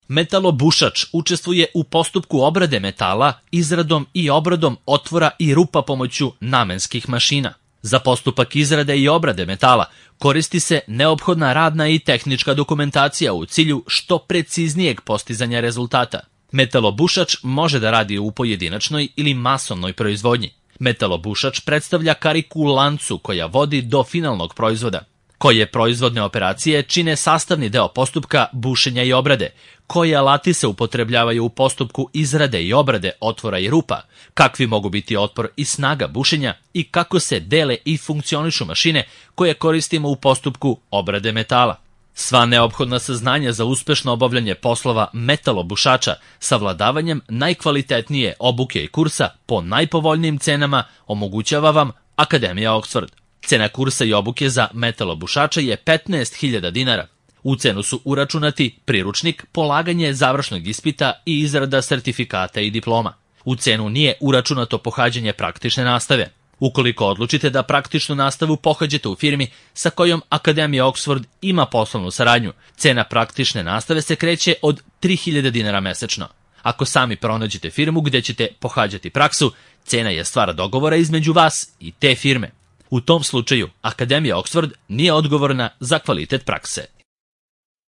Metalobušač učestvuje u postupku obrade metala izradom i obradom otvora i rupa pomoću namenskih mašina. Za postupak izrade i obrade metala koristi se neophodna radna i tehnička dokumentacija u cilju što preciznijeg postizanja rezultata. Metalobušač može da radi u pojedinačnoj ili masovnoj proizvodnji. Metalobušač predstavlja kariku u lancu koja vodi do finalnog proizvoda, koje proizvodne operacije čine sastavni deo postupka bušenja i obrade, koje alati se upotrebljavaju u postupku izrade i obrade otvora i rupa, kakvi mogu biti otpor i snaga bušenja i kako se dele i funkcionišu mašine koje koristimo u postupku obrade metala. Sva neophodna saznanja za uspešno obavljanje poslova metalobušača savladavanjem najkvalitetnije obuke i kursa po najpovoljnijim cenama omogućava vam Akademija Oxford. Cena kursa i obuke za metalobušača je 15.000 dinara. U cenu su uračunati priručnik, polaganje završnog ispita i izrada sertifikata i diploma. U cenu nije uračunato pohađanje praktične nastave. Ukoliko odlučite da praktičnu nastavu pohađate u firmi sa kojom Akademija Oxford ima poslovnu saradnju, cena praktične nastave se kreće od 3.000 dinara mesečno. Ako sami pronađete firmu gdje ćete pohađati praksu, cena je stvar dogovora između vas i te firme. U tom slučaju, Akademija Oxford nije odgovorna za kvalitet prakse.